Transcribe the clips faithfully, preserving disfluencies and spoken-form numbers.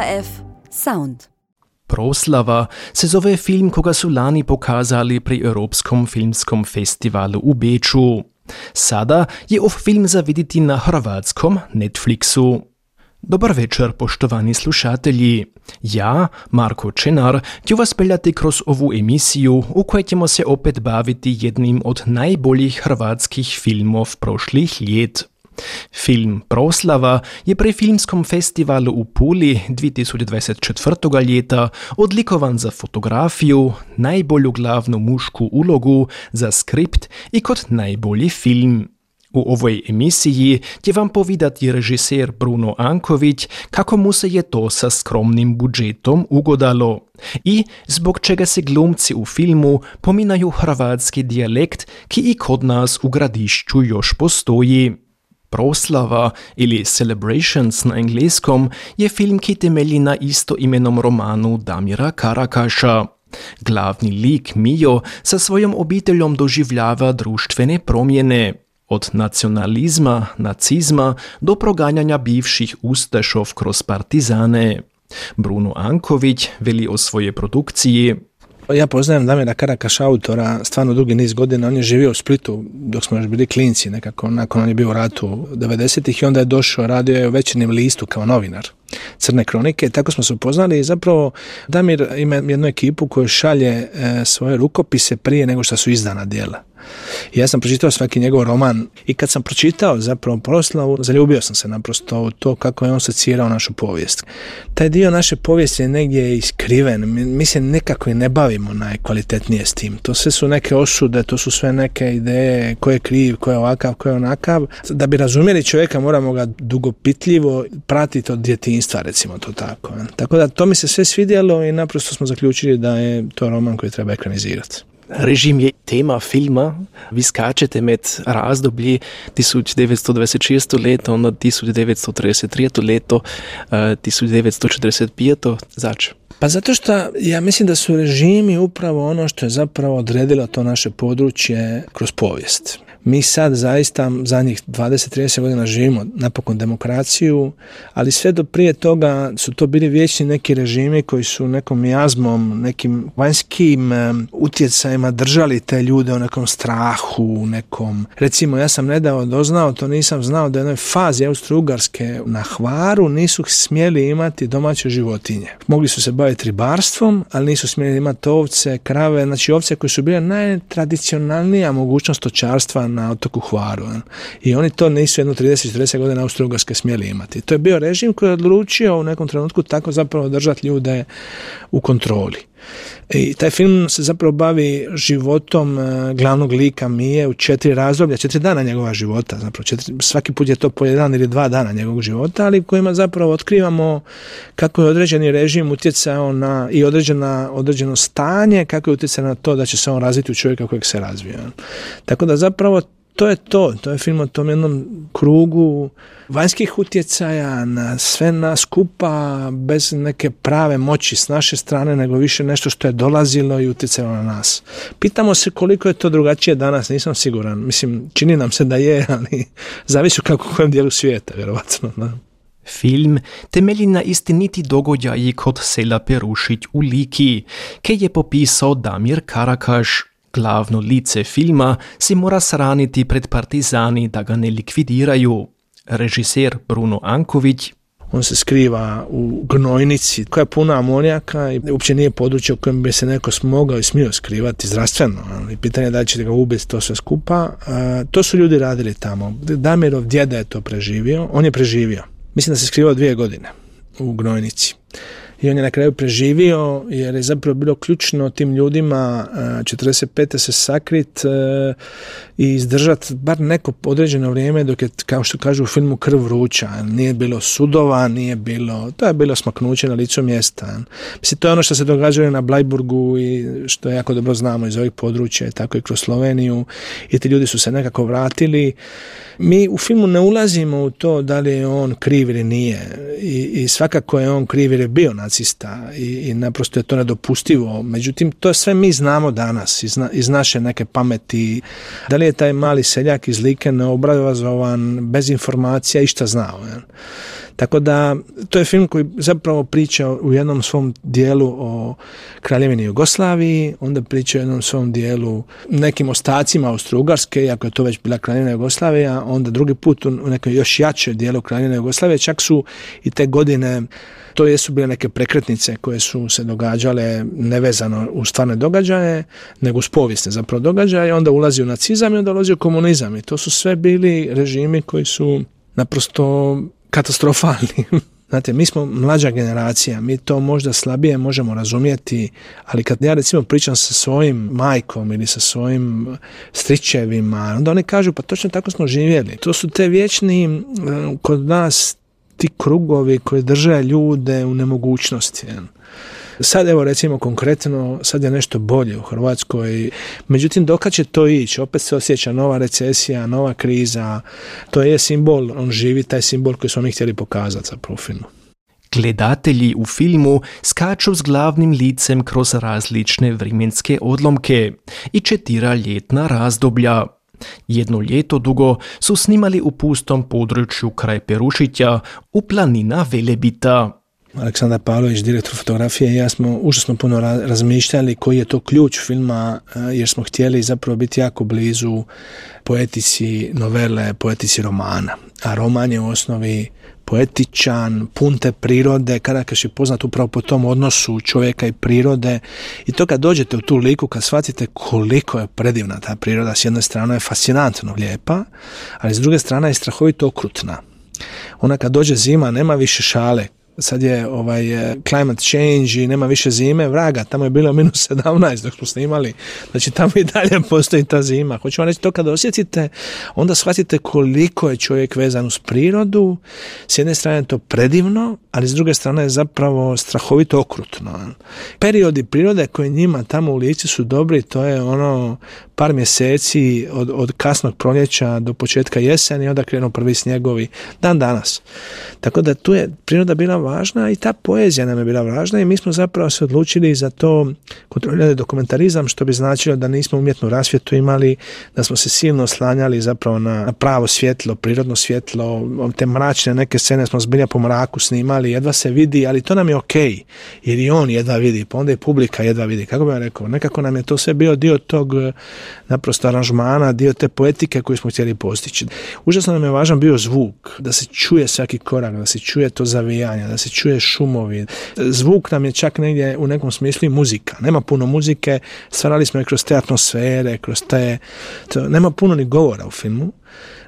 R F Sound. Proslava se zove film koga su lani pokazali pri Europskom filmskom festivalu u Beču. Sada je ov film za vidjeti na hrvatskom Netflixu. Dobar večer, poštovani slušatelji. Ja, Marko Čenar, ću vas peljati kroz ovu emisiju u kojoj ćemo se opet baviti jednim od najboljih hrvatskih filmov prošlih ljet. Film Proslava je pri Filmskom festivalu u Puli dvije tisuće dvadeset četvrtog ljeta odlikovan za fotografiju, najbolju glavnu mušku ulogu, za skript i kot najbolji film. U ovoj emisiji će vam povedati režiser Bruno Anković kako mu se je to sa skromnim budžetom ugodalo i zbog čega se glumci u filmu pominaju hrvatski dijalekt ki i kod nas u Gradišću još postoji. Proslava ili Celebrations na engleskom je film ki temelji na istoimenom romanu Damira Karakaša. Glavni lik Mijo sa svojom obiteljom doživljava društvene promjene. Od nacionalizma, nacizma do proganjanja bivših ustašov kroz partizane. Bruno Anković veli o svojoj produkciji: Ja poznajem Damira Karakaša, autora, stvarno dugi niz godina. On je živio u Splitu dok smo još bili klinci, nekako nakon on je bio u ratu devedesetih i onda je došao, radio je u Večernjem listu kao novinar Crne kronike. Tako smo se upoznali i zapravo Damir ima jednu ekipu koju šalje e, svoje rukopise prije nego što su izdana djela. I ja sam pročitao svaki njegov roman i kad sam pročitao zapravo Proslavu, zaljubio sam se naprosto u to kako je on secirao našu povijest. Taj dio naše povijesti je negdje iskriven, mi, mi se nekako i ne bavimo najkvalitetnije s tim. To sve su neke osude, to su sve neke ideje, ko je kriv, ko je ovakav, ko je onakav. Da bi razumjeli čovjeka moramo ga dugopitljivo pratiti od djetinjstva, recimo to tako. Tako da to mi se sve svidjelo i naprosto smo zaključili da je to roman koji treba ekranizirati. Režim je tema filma. Vi skačete med razdoblji tisoč devetsto dvadeset šesto leto na tisoč devetsto trideset treće leto, tisoč devetsto četrdeset peto Zač? Pa zato što ja mislim da su režimi upravo ono što je zapravo odredilo to naše područje kroz povijest. Mi sad zaista zadnjih dvadeset do trideset godina živimo napokon demokraciju, ali sve do prije toga su to bili vječni neki režimi koji su nekom jazmom, nekim vanjskim um, utjecajima držali te ljude u nekom strahu, nekom... Recimo, ja sam nedavno doznao, to nisam znao, da je u jednoj fazi Austro-Ugarske na Hvaru nisu smjeli imati domaće životinje. Mogli su se baviti ribarstvom, ali nisu smjeli imati ovce, krave, znači ovce koje su bile najtradicionalnija mogućnost stočarstva na otoku Hvaru. I oni to nisu jedno trideset do četrdeset godina Austro-Ugarske smjeli imati. To je bio režim koji je odlučio u nekom trenutku tako zapravo držati ljude u kontroli. I taj film se zapravo bavi životom glavnog lika Mije u četiri razdoblja, četiri dana njegova života. Zapravo četiri, svaki put je to po jedan ili dva dana njegovog života, ali kojima zapravo otkrivamo kako je određeni režim utjecao na i određena, određeno stanje, kako je utjecao na to da će se on razviti u čovjeka kojeg se razvija. Tako da zapravo to je to, to je film o tom jednom krugu vanjskih utjecaja na sve nas skupa, bez neke prave moći s naše strane, nego više nešto što je dolazilo i utjecalo na nas. Pitamo se koliko je to drugačije danas, nisam siguran. Mislim, čini nam se da je, ali zavisi kako u kojem dijelu svijeta, vjerovatno. Da. Film temelji na istiniti događaji kod sela Perušić u Liki, kaj je popisao Damir Karakaš. Glavno lice filma se mora sraniti pred partizani da ga ne likvidiraju. Režiser Bruno Anković: On se skriva u gnojnici koja je puna amonijaka i uopće nije područje u kojem bi se neko smogao i smio skrivati zdravstveno. I pitanje je da će ga ubiti to sve skupa. E, to su ljudi radili tamo. Damirov djeda je to preživio. On je preživio. Mislim da se skrivao dvije godine u gnojnici. I on je na kraju preživio jer je zapravo bilo ključno tim ljudima četrdeset pete se sakrit i izdržati bar neko određeno vrijeme dok je, kao što kažu u filmu, krv vruća. Nije bilo sudova, nije bilo, to je bilo smaknuće na licu mjesta. Mislim, to je ono što se događalo na Blajburgu i što jako dobro znamo iz ovih područja, tako i kroz Sloveniju, i ti ljudi su se nekako vratili. Mi u filmu ne ulazimo u to da li je on kriv ili nije i, i svakako je on kriv jer je bio nacista i, i naprosto je to nedopustivo. Međutim, to sve mi znamo danas iz, na, iz naše neke pameti. Da li je taj mali seljak iz Like neobrazovan, bez informacija, išta znao. Ja? Tako da, to je film koji zapravo priča u jednom svom dijelu o Kraljevini Jugoslaviji, onda priča u jednom svom dijelu nekim ostacima Austro-Ugarske, iako je to već bila Kraljevina Jugoslavija, onda drugi put u nekoj još jače dijelu Kraljevine Jugoslavije, čak su i te godine, to jesu bile neke prekretnice koje su se događale nevezano u stvarne događaje, nego uz povijesne zapravo događaje, onda ulazi u nacizam i onda ulazi u komunizam. I to su sve bili režimi koji su naprosto katastrofalni. Znate, mi smo mlađa generacija, mi to možda slabije možemo razumjeti, ali kad ja recimo pričam sa svojim majkom ili sa svojim stričevima, onda oni kažu pa točno tako smo živjeli. To su te vječni kod nas ti krugovi koji drže ljude u nemogućnosti. Sad evo recimo konkretno, sad je nešto bolje u Hrvatskoj, međutim dokad će to ići, opet se osjeća nova recesija, nova kriza, to je simbol, on živi taj simbol koji smo mi htjeli pokazati zapravo u filmu. Gledatelji u filmu skaču s glavnim licem kroz različne vremenske odlomke i četira ljetna razdoblja. Jedno ljeto dugo su snimali u pustom području kraj Perušića u planina Velebita. Aleksandar Pavlović, direktor fotografije, i ja smo užasno puno razmišljali koji je to ključ filma, jer smo htjeli zapravo biti jako blizu poetici novele, poetici romana. A roman je u osnovi poetičan, pun te prirode, Karakaš je poznat upravo po tom odnosu čovjeka i prirode. I to kad dođete u tu liku, kad shvatite koliko je predivna ta priroda, s jedne strane je fascinantno lijepa, ali s druge strane je strahovito okrutna. Ona kad dođe zima, nema više šale. Sad je ovaj climate change i nema više zime, vraga, tamo je bilo minus sedamnaest dok smo snimali, znači tamo i dalje postoji ta zima. Hoću vam reći, to kada osjetite, onda shvatite koliko je čovjek vezan uz prirodu, s jedne strane je to predivno, ali s druge strane je zapravo strahovito okrutno. Periodi prirode koji njima tamo u Lici su dobri, to je ono par mjeseci od, od kasnog proljeća do početka jeseni, onda krenu prvi snjegovi, dan danas. Tako da tu je priroda bila važna i ta poezija nam je bila važna i mi smo zapravo se odlučili za to kontrolirati dokumentarizam, što bi značilo da nismo umjetnu rasvjetu imali, da smo se silno oslanjali zapravo na, na pravo svjetlo, prirodno svjetlo, te mračne neke scene smo zbilja po mraku snimali, jedva se vidi, ali to nam je okej, jer i on jedva vidi, pa onda i publika jedva vidi. Kako bih vam rekao, nekako nam je to sve bio dio tog naprosto aranžmana, dio te poetike koju smo htjeli postići. Užasno nam je važan bio zvuk, da se čuje svaki korak, da se čuje to zavijanje, da se čuje šumovi. Zvuk nam je čak negdje u nekom smislu i muzika. Nema puno muzike, stvarali smo je kroz te atmosfere, kroz te... To, nema puno ni govora u filmu,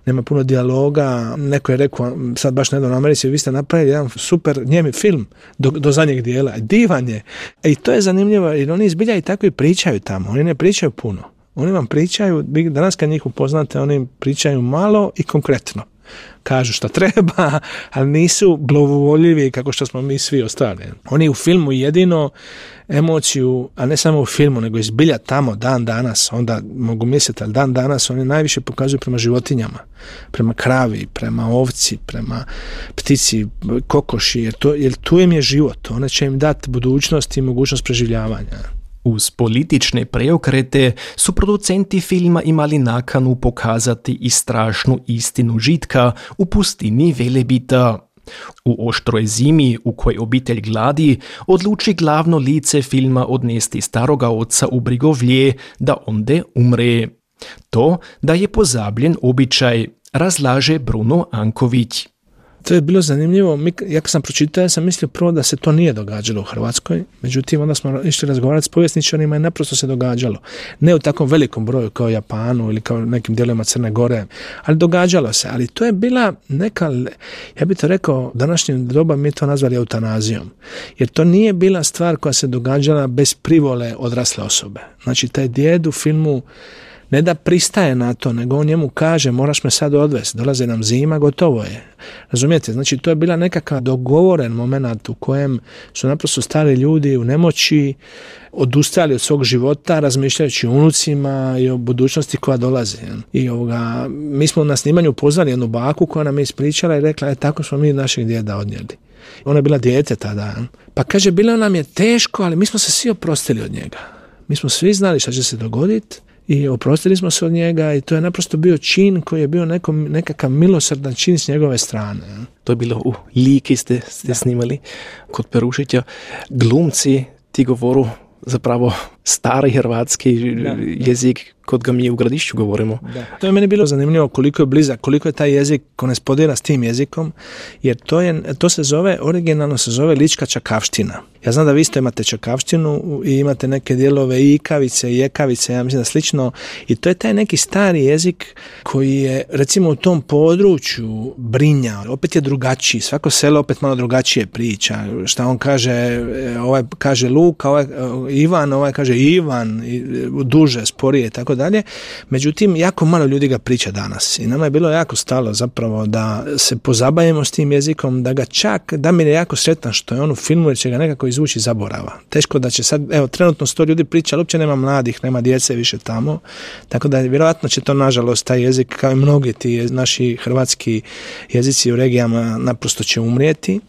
nema puno dijaloga. Neko je rekao, sad baš nedavno u Americi, vi ste napravili jedan super njemi film do, do zadnjeg dijela. Divan je. I to je zanimljivo, jer oni izbilja i tako i pričaju tamo. Oni ne pričaju puno. Oni vam pričaju, danas kad njih upoznate, oni pričaju malo i konkretno. Kažu šta treba, ali nisu blagovoljivi kako što smo mi svi ostali. Oni u filmu jedino emociju, a ne samo u filmu, nego izbilja tamo dan danas, onda mogu misliti, ali dan danas oni najviše pokazuju prema životinjama, prema kravi, prema ovci, prema ptici, kokoši, jer, to, jer tu im je život. One će im dati budućnost i mogućnost preživljavanja. Uz politične preokrete su producenti filma imali nakanu pokazati i strašnu istinu žitka u pustini Velebita. U oštroj zimi u kojoj obitelj gladi odluči glavno lice filma odnesti staroga oca u Brigovlje da onde umre. To da je pozabljen običaj, razlaže Bruno Anković. To je bilo zanimljivo. Mi, ja kad sam pročitao, ja sam mislio prvo da se to nije događalo u Hrvatskoj. Međutim, onda smo išli razgovarati s povjesničarima i naprosto se događalo. Ne u takvom velikom broju kao Japanu ili kao nekim dijelovima Crne Gore, ali događalo se. Ali to je bila neka, ja bih to rekao, današnjem doba mi to nazvali eutanazijom. Jer to nije bila stvar koja se događala bez privole odrasle osobe. Znači, taj djed u filmu ne da pristaje na to, nego on njemu kaže moraš me sad odvesti, dolaze nam zima, gotovo je. Razumijete? Znači to je bila nekakav dogovoren moment u kojem su naprosto stari ljudi u nemoći odustali od svog života, razmišljajući o unucima i o budućnosti koja dolazi. I ovoga, mi smo na snimanju pozvali jednu baku koja nam je ispričala i rekla, e tako smo mi našeg djeda odnijeli. Ona je bila dijete tada. Pa kaže, bilo nam je teško, ali mi smo se svi oprostili od njega. Mi smo svi znali šta će se dogoditi i oprostili smo se od njega i to je naprosto bio čin koji je bio neko, nekakav milosrdan čin s njegove strane. To je bilo u Liki ste, ste snimali kod Perušića. Glumci ti govoru zapravo stari hrvatski da, jezik kod ga mi u Gradišću govorimo. Da. To je meni bilo zanimljivo koliko je blizak, koliko je taj jezik korespondira s tim jezikom, jer to, je, to se zove, originalno se zove lička čakavština. Ja znam da vi isto imate čakavštinu i imate neke dijelove i ikavice i jekavice, ja mislim da slično, i to je taj neki stari jezik koji je recimo u tom području Brinja, opet je drugačiji, svako selo opet malo drugačije priča, šta on kaže, ovaj kaže Luka, ovaj Ivan, ovaj kaže Ivan, duže, sporije, tako dalje. Međutim, jako malo ljudi ga priča danas i nama je bilo jako stalo zapravo da se pozabavimo s tim jezikom, da ga čak, da mi je jako sretan što je on u filmu, jer će ga nekako izvući zaborava. Teško da će sad, evo, trenutno sto ljudi priča, ali uopće nema mladih, nema djece više tamo, tako da vjerojatno će to, nažalost, taj jezik, kao i mnogi ti naši hrvatski jezici u regijama, naprosto će umrijeti.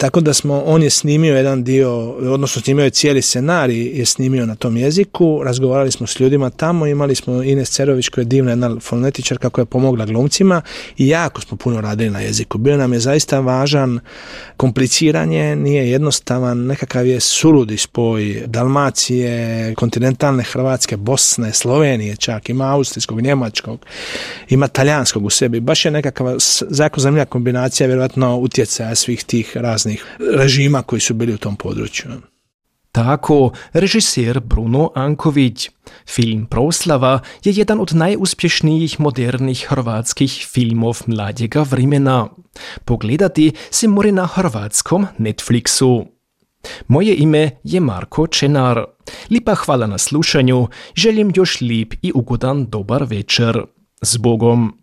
Tako da smo, on je snimio jedan dio, odnosno snimio je cijeli scenarij, je snimio na tom jeziku, razgovarali smo s ljudima tamo, imali smo Ines Cerović koja je divna jedna fonetičarka koja je pomogla glumcima i jako smo puno radili na jeziku. Bio nam je zaista važan, kompliciranje, nije jednostavan, nekakav je suludi spoj Dalmacije, kontinentalne Hrvatske, Bosne, Slovenije čak, ima austrijskog, njemačkog, ima talijanskog u sebi. Baš je nekakva jako zanimljiva kombinacija, vjerojatno utjecaja svih tih raznih režima koji su bili u tom području. Tako, režiser Bruno Anković. Film Proslava je jedan od najuspješnijih modernih hrvatskih filmov mladjega vremena. Pogledati se more na hrvatskom Netflixu. Moje ime je Marko Čenar. Lipa hvala na slušanju, želim još lip i ugodan dobar večer. S Bogom!